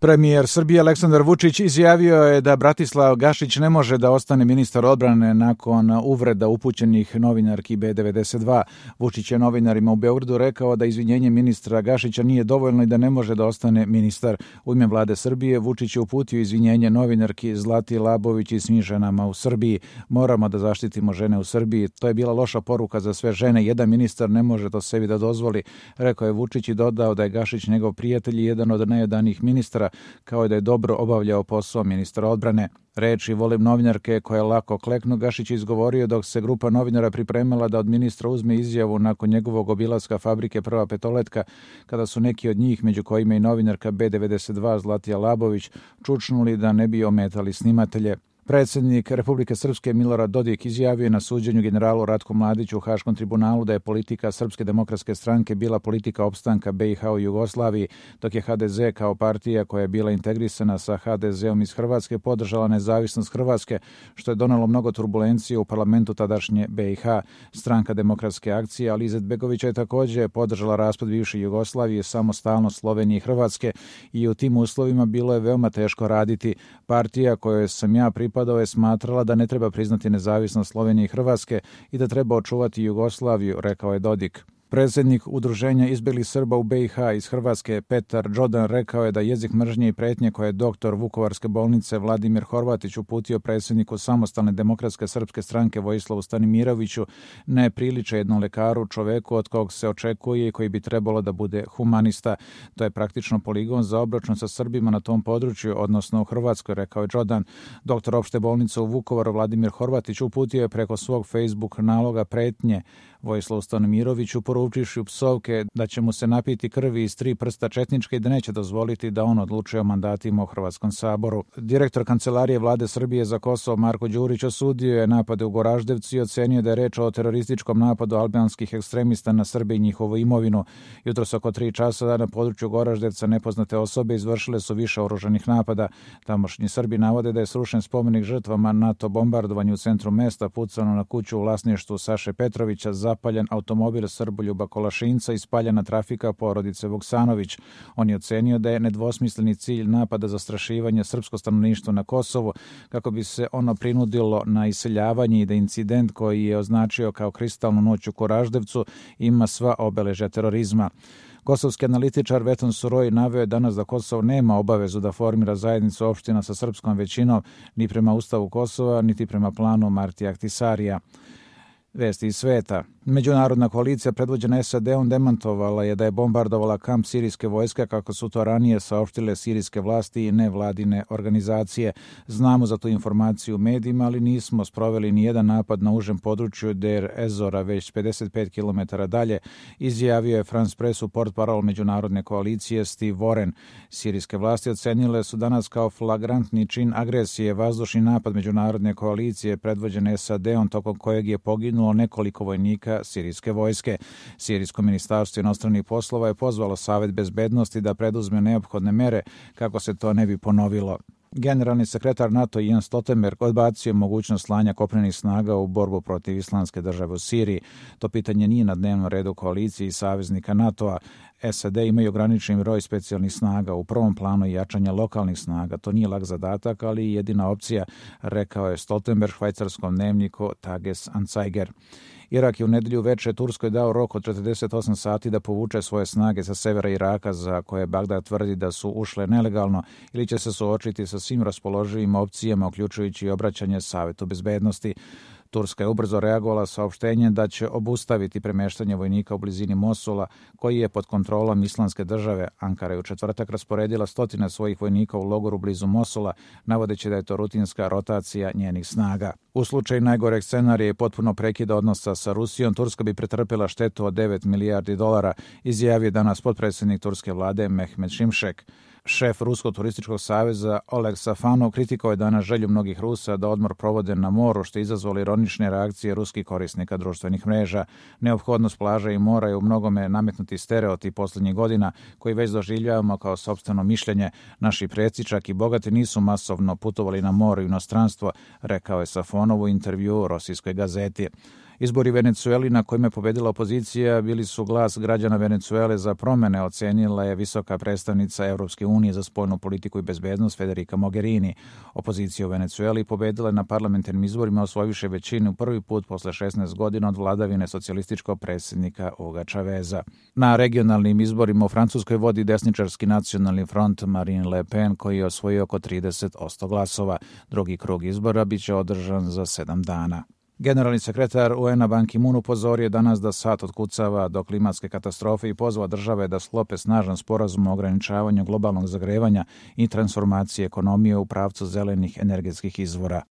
Premijer Srbije Aleksandar Vučić izjavio je da Bratislav Gašić ne može da ostane ministar odbrane nakon uvreda upućenih novinarki B92. Vučić je novinarima u Beogradu rekao da izvinjenje ministra Gašića nije dovoljno i da ne može da ostane ministar. U ime vlade Srbije Vučić je uputio izvinjenje novinarki Zlati Labović i svim ženama u Srbiji. Moramo da zaštitimo žene u Srbiji. To je bila loša poruka za sve žene. Jedan ministar ne može to sebi da dozvoli, rekao je Vučić i dodao da je Gašić njegov prijatelj i jedan od najodanijih ministara, kao i da je dobro obavljao posao ministra odbrane. Reči volim novinarke koje lako kleknu Gašić je izgovorio dok se grupa novinara pripremala da od ministra uzme izjavu nakon njegovog obilaska fabrike Prva petoletka, kada su neki od njih, među kojima i novinarka B92 Zlatija Labović, čučnuli da ne bi ometali snimatelje. Predsjednik Republike Srpske Milorad Dodik izjavio je na suđenju generalu Ratku Mladiću u Haškom tribunalu da je politika Srpske demokratske stranke bila politika opstanka BiH u Jugoslaviji, dok je HDZ kao partija koja je bila integrisana sa HDZ-om iz Hrvatske podržala nezavisnost Hrvatske, što je donelo mnogo turbulencije u parlamentu tadašnje BiH. Stranka demokratske akcije Ali Izetbegovića je također podržala raspad bivše Jugoslavije, samostalnost Slovenije i Hrvatske i u tim uslovima bilo je veoma teško raditi. Partija kojoj sam ja pripadao je smatrala da ne treba priznati nezavisnost Slovenije i Hrvatske i da treba očuvati Jugoslaviju, rekao je Dodik. Predsjednik Udruženja izbjeglih Srba u BiH iz Hrvatske Petar Đodan rekao je da jezik mržnje i pretnje koje je doktor Vukovarske bolnice Vladimir Horvatić uputio predsjedniku Samostalne demokratske srpske stranke Vojislavu Stanimiroviću ne priliče jednom lekaru, čoveku od kog se očekuje i koji bi trebalo da bude humanista. To je praktično poligon za obračun sa Srbima na tom području, odnosno u Hrvatskoj, rekao je Đodan. Doktor opšte bolnice u Vukovaru Vladimir Horvatić uputio je preko svog Facebook naloga pretnje Vojislavu Stanimiroviću, poručivši u psovke da će mu se napiti krvi iz 3 prsta četničke i da neće dozvoliti da on odlučuje o mandatima u Hrvatskom saboru. Direktor Kancelarije vlade Srbije za Kosovo Marko Đurić osudio je napade u Goraždevcu i ocenio da je reč o terorističkom napadu albanskih ekstremista na Srbe i njihovu imovinu. Jutros oko 3 časa na području Goraždevca nepoznate osobe izvršile su više oružanih napada. Tamošnji Srbi navode da je srušen spomenik žrtvama NATO bombardovanju u centru mesta, pucano na kuću u vlasništvu Saše Petrovića, zapaljen automobil Srboljuba Kolašinca i spaljena trafika porodice Vuksanović. On je ocenio da je nedvosmisleni cilj napada zastrašivanje srpsko stanovništvo na Kosovu kako bi se ono prinudilo na iseljavanje i da incident koji je označio kao kristalnu noć u Goraždevcu ima sva obeležja terorizma. Kosovski analitičar Veton Suroj naveo je danas da Kosovo nema obavezu da formira zajednicu opština sa srpskom većinom ni prema Ustavu Kosova, niti prema planu Martija Ahtisarija. Vesti iz sveta. Međunarodna koalicija predvođena SAD-om demantovala je da je bombardovala kamp sirijske vojske kako su to ranije saopštile sirijske vlasti i nevladine organizacije. Znamo za tu informaciju u medijima, ali nismo sproveli ni jedan napad na užem području Der Ezora, već 55 km dalje, izjavio je France Pressu portparol međunarodne koalicije Steve Warren. Sirijske vlasti ocenile su danas kao flagrantni čin agresije vazdušni napad međunarodne koalicije predvođene SAD-om tokom kojeg je poginulo nekoliko vojnika sirijske vojske. Sirijsko ministarstvo inostranih poslova je pozvalo Savet bezbednosti da preduzme neophodne mere kako se to ne bi ponovilo. Generalni sekretar NATO Jens Stoltenberg odbacio mogućnost slanja kopnenih snaga u borbu protiv Islamske države u Siriji. To pitanje nije na dnevnom redu koalicije i saveznika NATO-a. SAD imaju ograničen broj specijalnih snaga, u prvom planu jačanja lokalnih snaga. To nije lak zadatak, ali i jedina opcija, rekao je Stoltenberg švajcarskom dnevniku Tages Anzeiger. Irak je u nedelju veče Turskoj dao rok od 48 sati da povuče svoje snage sa severa Iraka za koje Bagdad tvrdi da su ušle nelegalno ili će se suočiti sa svim raspoloživim opcijama, uključujući i obraćanje Savetu bezbednosti. Turska je ubrzo reagovala saopštenjem da će obustaviti premeštanje vojnika u blizini Mosula, koji je pod kontrolom Islamske države. Ankara je u četvrtak rasporedila 100 svojih vojnika u logoru blizu Mosula, navodeći da je to rutinska rotacija njenih snaga. U slučaju najgoreg scenarija i potpuno prekida odnosa sa Rusijom, Turska bi pretrpjela štetu od 9 milijardi dolara, izjavio danas potpredsjednik turske vlade Mehmet Şimšek. Šef Ruskog turističkog saveza Oleg Safanov kritikovao je danas želju mnogih Rusa da odmor provode na moru, što je izazvalo ironične reakcije ruskih korisnika društvenih mreža. Neophodnost plaža i mora je u mnogome nametnuti stereotip posljednjih godina koji već doživljavamo kao sopstveno mišljenje. Naši preci, čak i bogati, nisu masovno putovali na more i inostranstvo, rekao je Safanov u intervjuu Rosijskoj gazeti. Izbori u Venecueli na kojima je pobedila opozicija bili su glas građana Venecuele za promene, ocenila je visoka predstavnica Evropske unije za spoljnu politiku i bezbednost Federica Mogherini. Opozicija u Venecueli pobedila je na parlamentarnim izborima osvojiše većinu prvi put posle 16 godina od vladavine socijalističkog predsjednika Huga Chaveza. Na regionalnim izborima u Francuskoj vodi desničarski nacionalni front Marine Le Pen koji je osvojio oko 30% glasova. Drugi krug izbora biće održan za 7 dana. Generalni sekretar UN-a Ban Ki-moon upozorio danas da sat otkucava do klimatske katastrofe i pozvao države da sklope snažan sporazum o ograničavanju globalnog zagrevanja i transformacije ekonomije u pravcu zelenih energetskih izvora.